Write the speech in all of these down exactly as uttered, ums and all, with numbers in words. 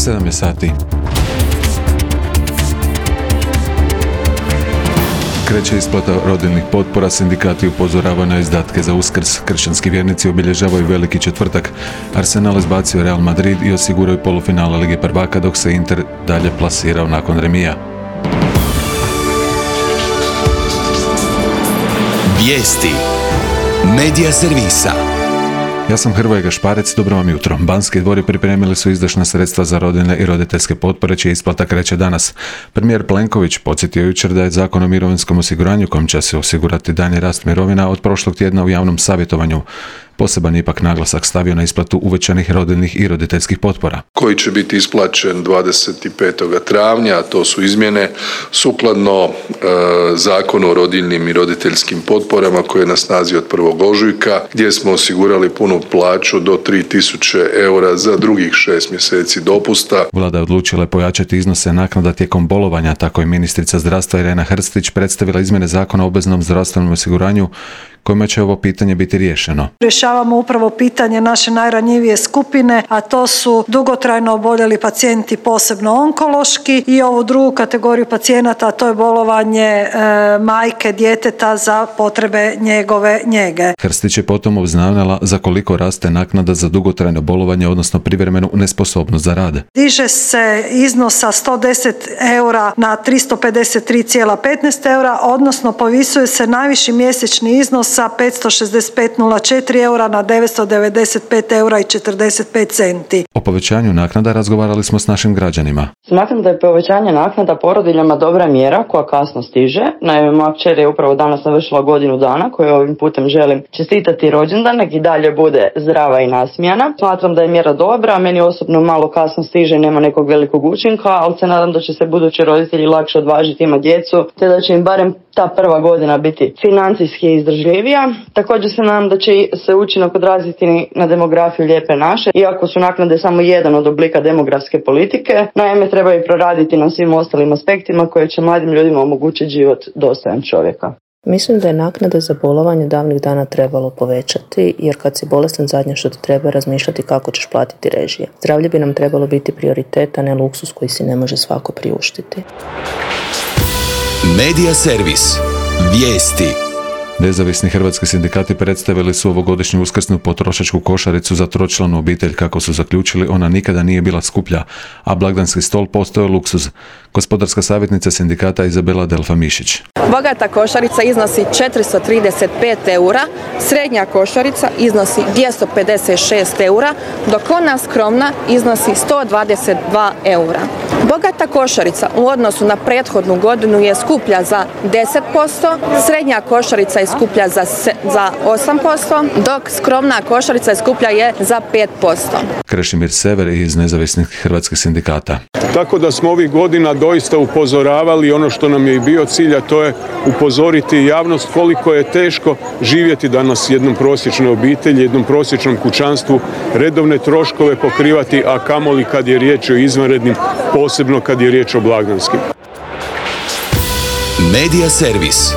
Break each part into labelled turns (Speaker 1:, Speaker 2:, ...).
Speaker 1: sedam je sati. Kreće isplata rodiljnih potpora, sindikati upozoravaju na izdatke za Uskrs. Kršćanski vjernici obilježavaju Veliki četvrtak. Arsenal izbacio Real Madrid i osiguraju polufinale Lige prvaka, dok se Inter dalje plasirao nakon remija.
Speaker 2: Vijesti Medija servisa.
Speaker 1: Ja sam Hrvoje Gašparec, dobro vam jutro. Banski dvori pripremili su izdašna sredstva za rodiljne i roditeljske potpore, čija isplata kreće danas. Premijer Plenković podsjetio jučer da je Zakon o mirovinskom osiguranju, kojim će se osigurati daljnji rast mirovina, od prošlog tjedna u javnom savjetovanju. Poseban ipak naglasak stavio na isplatu uvećanih rodiljnih i roditeljskih potpora.
Speaker 3: Koji će biti isplaćen dvadeset petog travnja, a to su izmjene sukladno e, Zakonu o rodiljnim i roditeljskim potporama koji je na snazi od prvog ožujka, gdje smo osigurali punu plaću do tri tisuće eura za drugih šest mjeseci dopusta.
Speaker 1: Vlada je odlučila pojačati iznose naknada tijekom bolovanja, tako je ministrica zdravstva Irena Hrstić predstavila izmjene Zakona o obveznom zdravstvenom osiguranju kojima će ovo pitanje biti riješeno.
Speaker 4: Rješavamo upravo pitanje naše najranjivije skupine, a to su dugotrajno oboljeli pacijenti, posebno onkološki, i ovu drugu kategoriju pacijenata, a to je bolovanje e, majke djeteta za potrebe njegove njege.
Speaker 1: Hrstić je potom obznanila za koliko raste naknada za dugotrajno bolovanje, odnosno privremenu nesposobnost za rad.
Speaker 4: Diže se iznos sa sto deset eura na tristo pedeset tri zarez petnaest eura, odnosno povisuje se najviši mjesečni iznos sa petsto šezdeset pet zarez nula četiri eura na devetsto devedeset pet eura i četrdeset pet centi.
Speaker 1: O povećanju naknada razgovarali smo s našim građanima.
Speaker 5: Smatram da je povećanje naknada porodiljama dobra mjera koja kasno stiže. Naime, moja kćer je upravo danas navršila godinu dana, koju ovim putem želim čestitati rođendan, nek i dalje bude zdrava i nasmijana. Smatram da je mjera dobra, meni osobno malo kasno stiže i nema nekog velikog učinka, ali se nadam da će se budući roditelji lakše odvažiti imati djecu, te da će im barem ta prva godina biti financijski izdržljivija. Također se nadam da će se učinak odraziti na demografiju Lijepe naše, iako su naknade samo jedan od oblika demografske politike. Naime, treba i proraditi na svim ostalim aspektima koje će mladim ljudima omogućiti život dostojan čovjeka.
Speaker 6: Mislim da je naknade za bolovanje davnih dana trebalo povećati, jer kad si bolestan zadnje što ti treba razmišljati kako ćeš platiti režije. Zdravlje bi nam trebalo biti prioritet, a ne luksus koji si ne može svako priuštiti.
Speaker 2: Medija servis. Vijesti.
Speaker 1: Nezavisni hrvatski sindikati predstavili su ovogodišnju uskrsnu potrošačku košaricu za tročlanu obitelj. Kako su zaključili, ona nikada nije bila skuplja, a blagdanski stol postao luksuz. Gospodarska savjetnica sindikata Izabela Delfa-Mišić.
Speaker 7: Bogata košarica iznosi četiristo trideset pet eura, srednja košarica iznosi dvjesto pedeset šest eura, dok ona skromna iznosi sto dvadeset dva eura. Bogata košarica u odnosu na prethodnu godinu je skuplja za deset posto, srednja košarica je skuplja za, za osam posto, dok skromna košarica je skuplja je za pet posto.
Speaker 1: Krešimir Sever iz nezavisnih hrvatskih sindikata.
Speaker 8: Tako da smo ovih godina doista upozoravali, ono što nam je i bio cilj, a to je upozoriti javnost koliko je teško živjeti danas jednom prosječnoj obitelji, jednom prosječnom kućanstvu, redovne troškove pokrivati, a kamoli kad je riječ o izvanrednim, posebno kad je riječ o blagdanskim.
Speaker 2: Medija servis.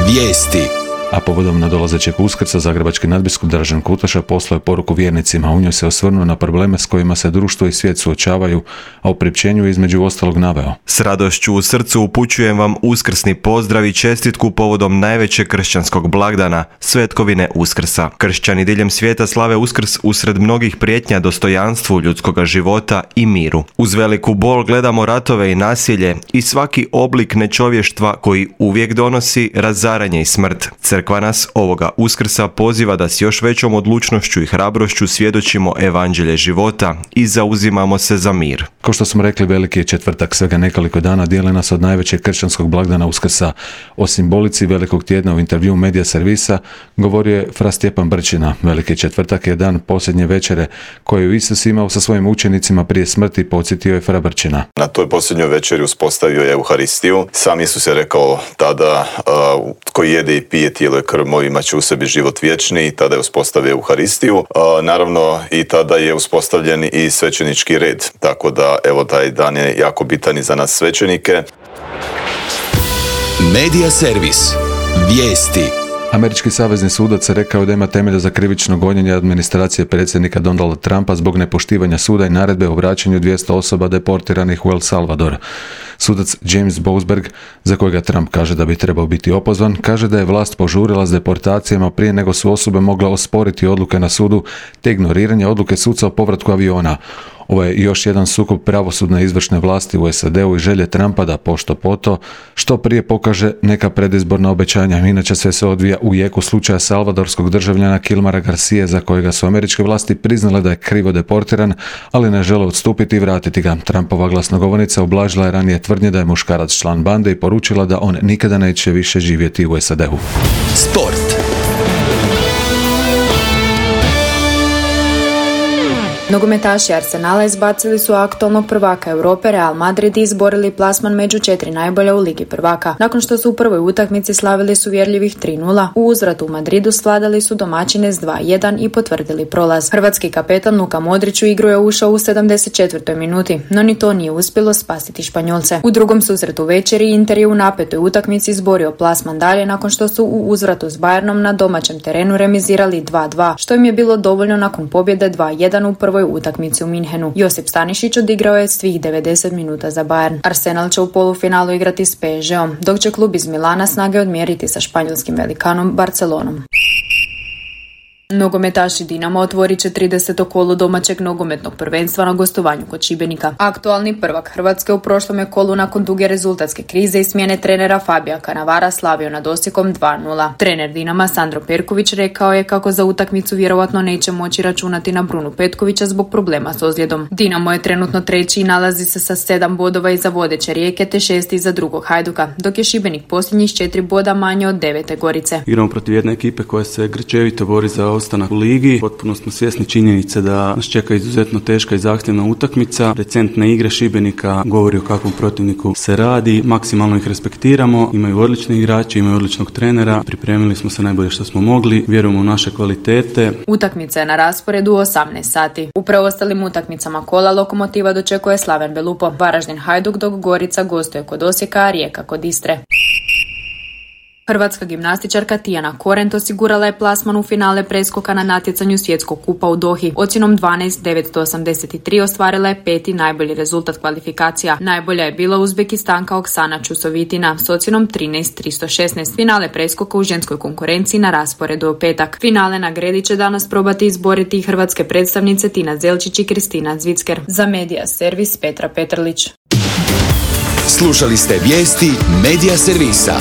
Speaker 2: Vijesti.
Speaker 1: A povodom nadolazećeg Uskrsa zagrebački nadbiskup Dražen Kutaša poslao je poruku vjernicima. U njoj se osvrnuo na probleme s kojima se društvo i svijet suočavaju, a u priopćenju je između ostalog naveo:
Speaker 9: S radošću u srcu upućujem vam uskrsni pozdrav i čestitku povodom najvećeg kršćanskog blagdana, svetkovine Uskrsa. Kršćani diljem svijeta slave Uskrs usred mnogih prijetnja dostojanstvu ljudskoga života i miru. Uz veliku bol gledamo ratove i nasilje i svaki oblik nečovještva koji uvijek donosi razaranje i smrt. Crkva nas ovoga Uskrsa poziva da s još većom odlučnošću i hrabrošću svjedočimo evanđelje života i zauzimamo se za mir.
Speaker 1: Kao što smo rekli, Veliki je četvrtak, svega nekoliko dana dijeli nas od najvećeg kršćanskog blagdana Uskrsa. O simbolici Velikog tjedna u intervjuu Medija servisa govorio je fra Stjepan Brčina. Veliki četvrtak je dan posljednje večere koju Isus imao sa svojim učenicima prije smrti, podsjetio je fra Brčina.
Speaker 10: Na toj posljednjoj večeri uspostavio je Euharistiju. Sam Isus je rekao tada, uh, tko jede i pije tijelo i krv moju imat će u sebi život vječni, i tada je uspostavio Euharistiju. Uh, naravno i tada je uspostavljen i svećenički red. Tako da evo taj dan je jako bitan i za nas svećenike.
Speaker 2: Medija servis. Vijesti.
Speaker 1: Američki savezni sudac rekao da ima temelja za krivično gonjenje administracije predsjednika Donalda Trumpa zbog nepoštivanja suda i naredbe o vraćanju dvjesto osoba deportiranih u El Salvador. Sudac James Boasberg, za kojega Trump kaže da bi trebao biti opozvan, kaže da je vlast požurila s deportacijama prije nego su osobe mogle osporiti odluke na sudu te ignoriranje odluke suca o povratku aviona. Ovo je još jedan sukob pravosudne i izvršne vlasti u S A D-u i želje Trumpa da pošto poto što prije pokaže neka predizborna obećanja. Inače sve se odvija u jeku slučaja salvadorskog državljana Kilmara Garcije, za kojega su američke vlasti priznale da je krivo deportiran, ali ne žele odstupiti i vratiti ga. Trumpova glasnogovornica ublažila je ranije tvrdnje da je muškarac član bande i poručila da on nikada neće više živjeti u S A D-u.
Speaker 2: Sport.
Speaker 11: Nogometaši Arsenala izbacili su aktualnog prvaka Europe Real Madrid i izborili plasman među četiri najbolja u Ligi prvaka. Nakon što su u prvoj utakmici slavili su uvjerljivih tri nula, u uzvratu u Madridu svladali su domaćine s dva jedan i potvrdili prolaz. Hrvatski kapetan Luka Modrić u igru je ušao u sedamdeset četvrtoj minuti, no ni to nije uspjelo spasiti Španjolce. U drugom susretu večeri Inter je u napetoj utakmici izborio plasman dalje nakon što su u uzvratu s Bayernom na domaćem terenu remizirali dva dva, što im je bilo dovoljno nakon pobjede dva jedan u prvoj utakmici u Minhenu. Josip Stanišić odigrao je svih devedeset minuta za Bayern. Arsenal će u polufinalu igrati s P S G-om, dok će klub iz Milana snage odmjeriti sa španjolskim velikanom Barcelonom. Nogometaši Dinama otvorit će trideseto kolo domaćeg nogometnog prvenstva na gostovanju kod Šibenika. Aktualni prvak Hrvatske u prošlom je kolu nakon duge rezultatske krize i smjene trenera Fabija Cannavara slavio nad Osijekom dva nula. Trener Dinama Sandro Perković rekao je kako za utakmicu vjerovatno neće moći računati na Brunu Petkovića zbog problema s ozljedom. Dinamo je trenutno treći i nalazi se sa sedam bodova iza vodeće Rijeke te šesti iza drugog Hajduka, dok je Šibenik posljednjih s četiri boda manje od devete Gorice.
Speaker 12: Igramo protiv jedne ekipe koja se grčevito bori za ostanak u ligi. Potpuno smo svjesni činjenice da nas čeka izuzetno teška i zahtjevna utakmica. Recentne igre Šibenika govori o kakvom protivniku se radi. Maksimalno ih respektiramo. Imaju odlične igrače, imaju odličnog trenera. Pripremili smo se najbolje što smo mogli. Vjerujemo u naše kvalitete.
Speaker 11: Utakmica je na rasporedu u osamnaest sati. U preostalim utakmicama kola Lokomotiva dočekuje Slaven Belupo, Varaždin Hajduk, dok Gorica gostuje kod Osijeka, a Rijeka kod Istre. Hrvatska gimnastičarka Tijana Korent osigurala je plasman u finale preskoka na natjecanju Svjetskog kupa u Dohi. Ocjenom dvanaest devetsto osamdeset tri ostvarila je peti najbolji rezultat kvalifikacija. Najbolja je bila Uzbekistanka Oksana Čusovitina s ocjenom trinaest tristo šesnaest. Finale preskoka u ženskoj konkurenciji na rasporedu u petak. Finale na gredi će danas probati izboriti hrvatske predstavnice Tina Zelčić i Kristina Zvicker. Za Medija Servis Petra Petrlić.
Speaker 2: Slušali ste vijesti Medija Servisa.